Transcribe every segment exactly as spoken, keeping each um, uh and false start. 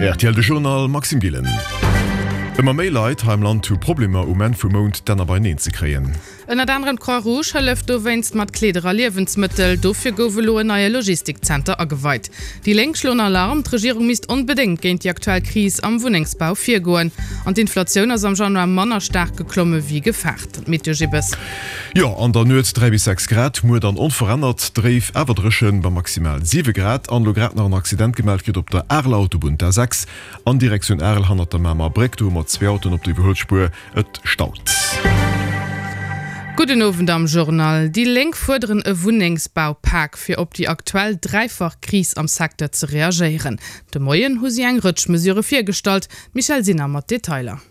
Rtl de Journal Maxime Gillen. Ëmmer méi Leit hei am Land hu Problemer um Enn vum Mount d'Enner beineen ze kréien. Ënnert anerem d'Croix Rouge hëlleft dowéinst mat Kleeder a Liewensmëttel. Dofir gouf elo en neie Logistikzenter ageweit. Déi Lénk schloen Alarm, D'Regierung misst onbedéngt géint déi aktuell Kris am Wunnengsbau virgoen. An d'Inflatioun ass am Januar manner staark geklomme wéi gefaart. D'Meteo Gibbes. Jo, an der Nuet dräi bis sechs Grad, muer dann onverännert dréif, awer dréchen, bei maximal siwe Grad. An elo grad nach en Accident gemellt kritt op der Areler Autobunn, d'A sechs an Direktioun Arel, hannert der Mamer Bréck. Do hu mer zwee Autoen op der Iwwerhuelspuer, et staut. Gudden Owend am Journal. Déi Lénk fuerderen e Wunnengsbaupak, fir op déi aktuell dräifach Kris am Secteur ze reagéieren. De Moien hu si eng Rëtsch Mesure virgestallt. D'Michèle Sinner mat Detailer.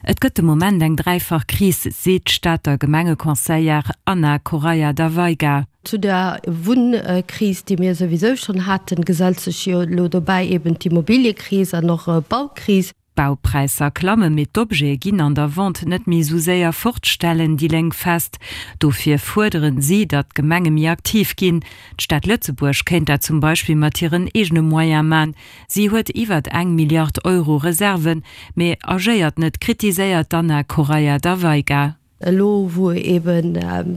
Et gëtt de Moment eng dräifach Kris, seet d'Stater Gemengeconseillère Ana Correia da Veiga. Zu der Wunnkris, déi mir souwisou schonn haten, gesellt sech jo elo dobäi eben d'Immobiliëkris an och d'Baukris. D'Baupräisser klammen, mee d'Objete ginn an der Vente net méi esou séier fort, stellen déi Lénk fest. Dofir fuerderen si, datt d'Gemenge méi aktiv ginn. D'Stad Lëtzebuerg kéint dat zum Beispill mat hiren eegene Moyen man. Si huet iwwert eng Milliard Euro Reserven, mee agéiert net, kritiséiert d'Ana Correia da Veiga. Elo wou ebe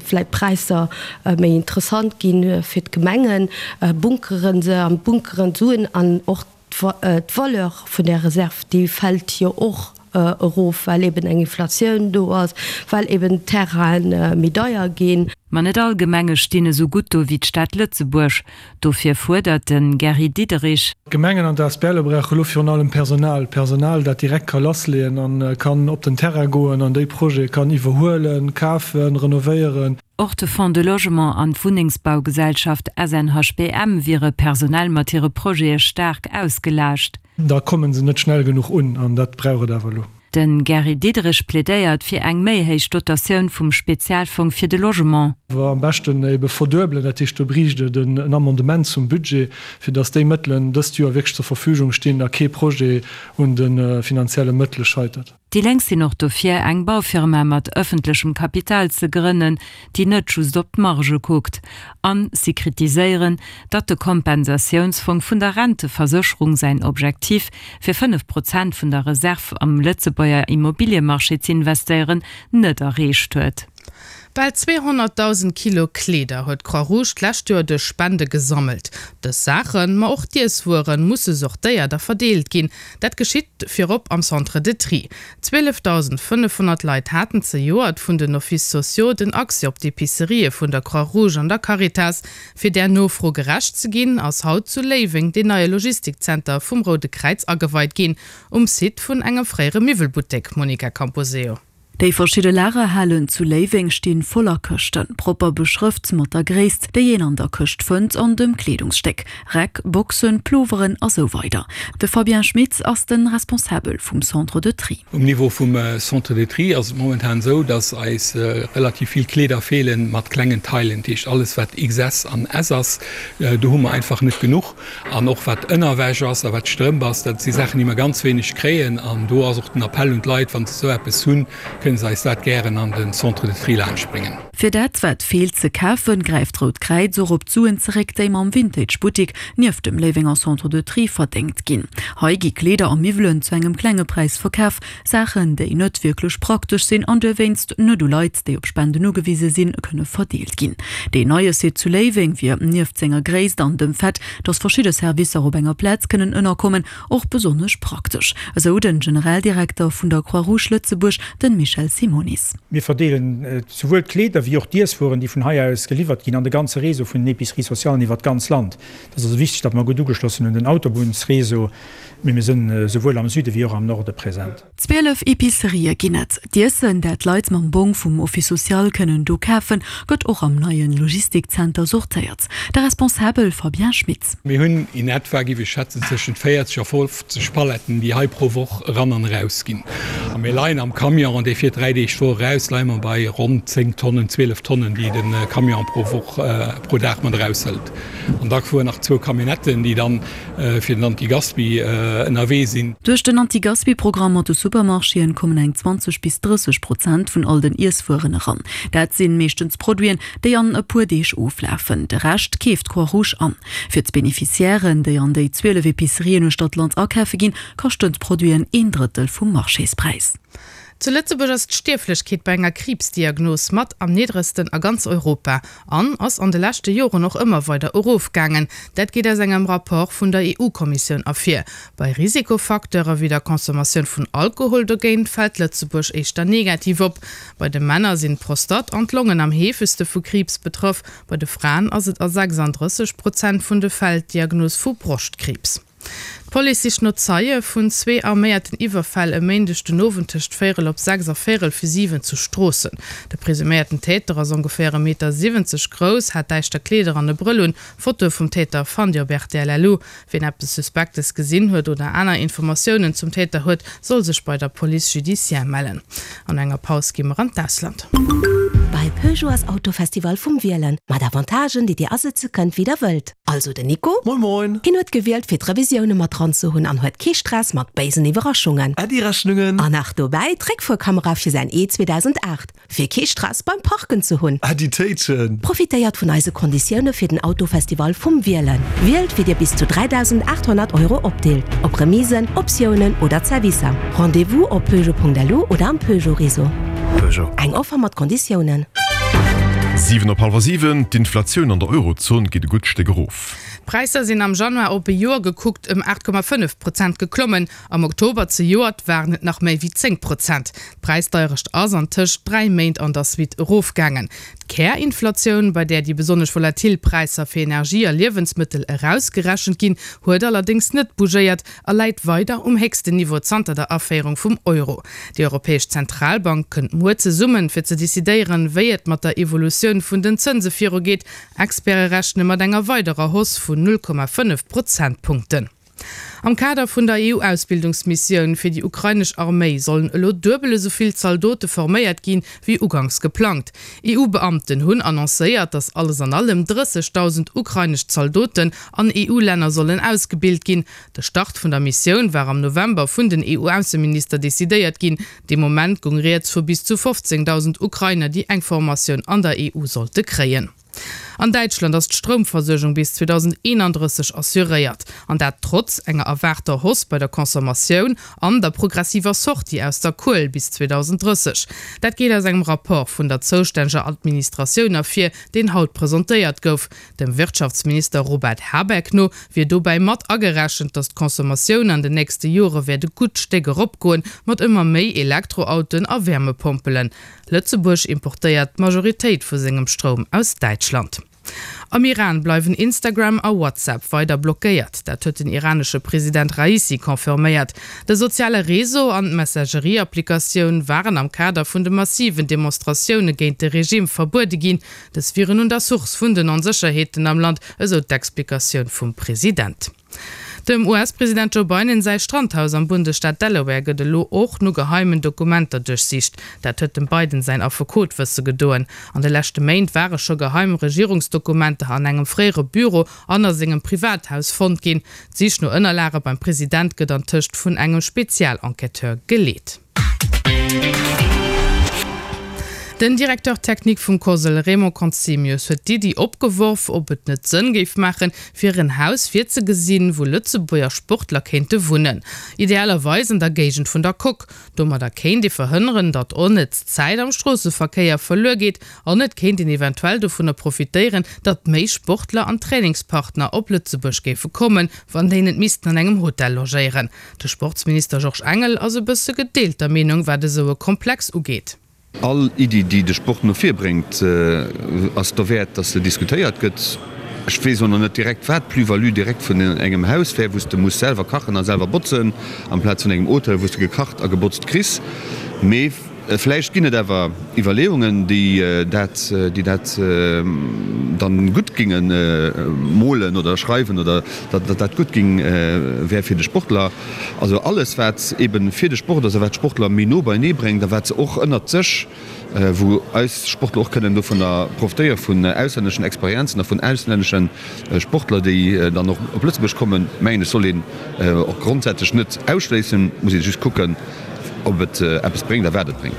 vläicht d'Präisser méi interessant gi fir d'Gemengen, bunkere se an bunkeren d'Suen an och d'Valeur vun där Reserv, déi fält jo och erof, well eben eng Inflatioun do ass, well eben d'Terraine méi deier ginn. Ma net all Gemenge stinn esou gutt do wéi d'Stad Lëtzebuerg. Dofir fuerdert de Gary Diderich. D'Gemengen an d'ASBLe brauche lo virun allem Personal, Personal, dat direkt ka lassleeën a kann op den Terrain goen an déi Projete kann iwwerhuelen, kafen, renovéieren. Och de Fonds de Logement an d'Wunnengsbaugesellschaft S N H B M wiere personell mat hire Projete staark ausgelaascht. Da komme se net schnell genuch un an dat brauch et awer elo. De Gary Diderich plädéiert fir eng méi héich Dotatioun vum Spezialfong fir de Logement. Am beschten ebe verduebelen, dat heescht do bréicht et en Amendement zum Budget, fir datt déi Mëttelen dëst Joer wierklech zur Verfügung stinn a kee Projet un de finanzielle Mëttele scheitert. Déi Lénk sinn och dofir, eng Baufirma mat ëffentlechem Kapital ze grënnen, déi net just op d'Marge kuckt. A si kritiséieren, datt de Kompensatiounsfong vun der Renteversécherung säin Objektiv, fir fënnef Prozent vun der Reserv am Lëtzebuerger Immobiliemarché z'investéieren, net erreecht huet. Bal zweehonnertdausend Kilo Kleeder huet d'Croix-Rouge d'lescht Joer duerch Spende gesammelt. Dës Saachen, ma och d'Iesswueren, musse sortéiert a verdeelt ginn. Dat geschitt virop am Centre de Tri. Zwielefdausendfënnefhonnert Leit haten zejoert vun den Offices sociaux den Accès op d'Epicerië vun der Croix-Rouge an der Caritas. Fir där Nofro gerecht ze ginn, ass haut zu Léiweng deen neie Logistikzenter vum Roude Kräiz ageweit ginn, um Site vun engem fréiere Miwwelbuttek. Monica Camposeo. Déi verschidde Lagerhalen zu Léiweng sti voller Këschten, propper beschrëft mat der Gréisst, déi een an der Këscht fënnt, an dem Kleedungsstéck, Räck, Boxen, Ploveren a sou weider. De Fabien Schmitz ass de Responsabel vum Centre de Tri. Um Niveau vum Centre de Tri ass et momentan esou, dass eis relativ vill Kleeder feelen mat klengen Tailen. Dat heescht alles wat X S an S ass, do hu mer einfach net genuch. An och wat Ënnerwäsch ass a wat Strëmp ass, dat si Saachen, déi mer ganz wéineg kréien. An do ass och den Appell un d'Leit, wa se esou eppes hunn, kënne se eis dat gären an den Centre de Tri laanscht bréngen. Fir dat, wat feelt, ze kafen, gräift d'Rout Kräiz och op d'Suen zeréck, déi mam Vintage-Buttik nieft dem Léiwenger Centre de Tri verdéngt ginn. Hei gi Kleeder a Miwwelen zu engem klenge Präis verkaf, Saachen, déi net wierklech praktesch sinn an dowéinst net u Leit, déi op Spenden ugewise sinn, kënne verdeelt ginn. Deen neie Site zu Léiweng wier nieft senger Gréisst an dem Fait, datt verschidde Servicer op enger Plaz kënnen ënnerkommen, och besonnesch praktesch, esou den Generaldirekter vun der Croix-Rouge Lëtzebuerg, de Michel Simonis. Mir verdeelen souwuel d'Kleeder wéi och d'Iesswueren, déi vun hei aus geliwwert ginn, an de ganze Réseau vun den Épiceries socialen iwwer d'ganz Land. Et ass also wichteg, datt mer gutt ugeschloss sinn un den Autobunnsréseau, mee mir sinn souwuel am Süde wéi och am Norde present. Zwielef Epicerië ginn et. D'Iessen, dat d'Leit mam Bong vum Office social kënnen do kafen, gëtt och am neie Logistikzenter sortéiert. De Responsabel Fabien Schmitz. Mir hunn in etwa, géif ech schätzen, tëschent véierzeg a fofzeg Paletten, déi hei pro Woch eran an eraus ginn. A mir leien am Camion, dee fiert dräi Deeg d'Woch eraus, leie mer bei ronn zéng Tonnen, zwielef Tonnen, déi de Camion pro Woch, pro Dag mat eraushëlt. An da fueren nach zwou Camionnetten, déi dann fir den Antigaspi ënnerwee sinn. Duerch den Antigaspi-Programm mat de Supermarchéen kommen eng zwanzeg bis drësseg Prozent vun all den Iesswueren eran. Dat sinn meeschtens Produiten, déi an e puer Deeg oflafen. De Rescht keeft d'Croix-Rouge an. Fir d'Beneficiairen, déi an déi zwielef Epicerien uechter d'Land akafe ginn, kaschten d'Produiten een Drëttel vum Marchésspräis. Zu Lëtzebuerg ass d'Stierflechkeet bei enger Kriibsdiagnos mat am niddregsten a ganz Europa an ass an de leschte Joren och ëmmer weider erofgaangen. Dat geet aus engem Rapport vun der EU-Kommissioun ervir. Bei Risikofacteure wéi der Consommatioun vun Alkohol dogéint fält Lëtzebuerg éischter negativ op. Bei de Männer sinn d'Prostate an d'Longen am heefegste vu Kriibs betraff, bei de Fraen ass et a sechsanddrësseg Prozent vun de Fäll d'Diagnos vu Broschtkriibs. D'Police sicht no Zeie vun zwee arméierten Iwwerfäll e Méindeg den Owend tëscht véierel op sechs a véierel vir siwen zu Stroossen. De presuméierten Täter ass ongeféier e Meter siwwenzeg grouss, hat däischter Kleeder an e Brëll un. Fotoe vum Täter fannt Dir op rtl.lu. Wien eppes Suspektes gesinn huet oder aner Informatiounen zum Täter huet, soll sech bei der Police judiciaire mellen. An enger Paus gi mer an d'Ausland. Bei Peugeot ass Autofestival vum Wielen, mat Avantagen, déi Dir asetze kënnt, wéi Der wëllt. Also den Nico. Moin moin. Hien huet gewielt, fir d'Revisioune mat dran ze hunn an huet kee Stress mat béisen Iwwerraschungen. Äddi Rechnungen. An nach dobäi d'Réckfuerkamera fir säin E zweedausendacht, fir kee Stress beim Parken ze hunn. Äddi Téitschen. Profitéiert vun eise Konditioune fir den Autofestival vum Wielen. Wielt, wéi Dir bis zu dräidausendaathonnert Euro opdeelt, op Remisen, Optiounen oder Zerwisser. Rendez-vous op Peugeot.lu oder am Peugeot-Réseau. Peugeot. Eng Offer mat Konditiounen. Siwen op hallwer siwen, D'Inflatioun an der Eurozon geet e gutt Stéck erof. D'Präisser sinn am Januar op e Joer gekuckt ëm aacht Komma fënnef Prozent geklommen. Am Oktober zejoert waren et nach méi wéi zéng Prozent. D'Präisdeierecht ass an tëscht dräi Méint an der Suite erofgaangen. D'Kärinflatioun, bei där déi besonnesch volatil Präisser fir Energie a Liewensmëttel erausgerechent ginn, huet allerdéngs net bougéiert a läit weider um héchsten Niveau zanter der Aféierung vum Euro. Déi Europäesch Zentralbank kënnt muer zesummen, fir ze decidéieren, wéi et mat der Evolutioun vun den Zënse virugeet. Experte rechne mat enger weiderer Hausse vun null Komma fënnef Prozentpunkten. Am Kader vun der E U-Ausbildungsmissioun fir déi ukrainesch Arméi sollen elo duebel esou vill Zaldote forméiert ginn, wéi uganks geplangt. E U-Beamten hunn annoncéiert, datt alles an allem drëssegdausend ukrainesch Zaldoten an E U-Länner sollen ausgebilt ginn. De Start vun der Missioun war am November vun den E U-Ausseminister decidéiert ginn. Dee Moment goung rieds vu bis zu fofzéngdausend Ukrainer, déi eng Formatioun an der E U sollte kréien. An Däitschland ass d'Stroumversuergung bis zweedausendeenandrësseg assuréiert. An dat trotz enger erwaarter Hausse bei der Consommatioun an der progressiver Sortie aus der Kuel bis zweedausenddrësseg. Dat geet aus engem Rapport vun der zoustänneger Administratioun ervir, deen haut presentéiert gouf. Dem Wirtschaftsminister Robert Habeck no wier dobäi mat agerechent, datt d'Consommatioun an den nächste Jore wäert e gutt Stéck eropgoen, mat ëmmer méi Elektroautoen a Wärmepompelen. Lëtzebuerg importéiert d'Majoritéit vu sengem Stroum aus Däitschland. Am Iran bleiwen Instagram a WhatsApp weider blockéiert. Dat huet den iranesche President Raisi confirméiert. De soziale Réseau an d'Messagerie-Applikatioun waren am Kader vun de massiven Demonstratioune géint de Regime verbuede ginn. Dës wieren un der Source vun den Onsécherheeten am Land, esou d'Explikatioun vum President. Dem U S-President Joe Biden säi Strandhaus am Bundesstaat Delaware gëtt elo och no geheimen Dokumenter duerchsicht. Dat huet dem Biden säin Affekot wësse gedoen. An de leschte Méint ware scho geheim Regierungsdokumenter an engem fréiere Büro an a sengem Privathaus fonnt ginn. D'Sich no Ënnerlage beim President gëtt antëscht vun engem Spezialenquêteur geleet. Den Directeur technique vum COSL, Raymond Conzemius, huet d'Iddi opgeworf, ob et net Sënn géif maachen, fir en Haus virzegesinn, wou Lëtzebuerger Sportler kéinte wunnen. Idealerweis an der Géigend vun der Coque. Domadder kéint ee verhënneren, datt onnëtz Zäit am Stroosseverkéier verluer geet an et kéint een eventuell dovunner profitéieren, datt méi Sportler an Trainingspartner op Lëtzebuerg géife kommen, wann déi net missten an engem Hotel logéieren. De Sportsminister Georges Engel ass e bësse gedeelter Meenung, wat esou e Komplex ugeet. All Iddi, déi de Sport no vir bréngt, ass derwäert, dass se diskutéiert gëtt. Ech weess och nach net direkt, wat d'Plus-value direkt vun engem Haus wär, wou s de muss selwer kachen a selwer botzen, amplaz vun engem Hotel, wou s de gekacht a gebotzt kriss. Mee Vläicht ginn et awer Iwwerleeungen, déi dat, déi dat dann gutt géinge molen oder schreiwen oder datt dat gutt géing wär fir de Sportler. Also alles wat eebe fir de Sport ass a wat d'Sportler méi no beienee bréngt a wat se och ënnert sech, wou eis Sportler och kënnen dovunner profitéiere vun auslänneschen Experienzen a vun auslännesche Sportler, déi dann och op Lëtzebuerg kommen, mengen ech, soll een och grondsätzlech net ausschléissen, muss ee just kucken, ob et eppes bréngt a wat et bréngt.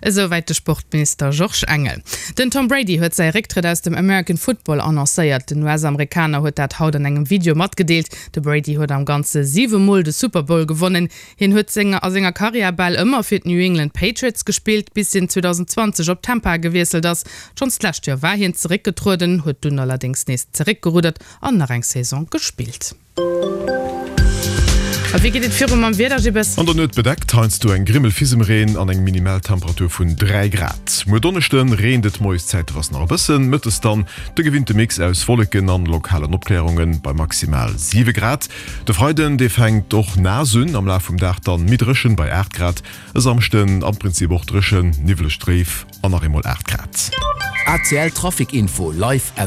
Esouwäit de Sportminister Georges Engel. Den Tom Brady huet säi Récktrëtt aus dem American Football annoncéiert. Den US-Amerikaner huet dat haut an engem Video matgedeelt. De Brady huet am Ganze siwe Mol de Super Bowl gewonnen. Hien huet senger a senger Karriär bal ëmmer fir d'New England Patriots gespillt, bis hien zweedausendenzwanzeg op Tampa gewiesselt ass. Schonns d'lescht Joer war hien zeréckgetrueden, huet dunn allerdéngs nees zeréckgeruddert an nach eng Saison gespillt. A wéi geet et viru mam Wieder, Gibbes? An der Nuet bedeckt, heiansdo eng Grimmel Fisemreen an eng Minimaltemperatur vun dräi Grad. Muer Donneschde reent et moies zäiteweis nach e bëssen, mëttes dann de gewinnte Mix aus Wolleken an lokalen Opklärunge bei maximal siwe Grad. De Freiden, dee fänkt och naass un, am Laf vum Dag dann méi dréchen bei aacht Grad. E Samschden am Prinzip och dréchen, niwweleg, dréif an nach eemol aacht Grad. ACL Trafic Info live aus.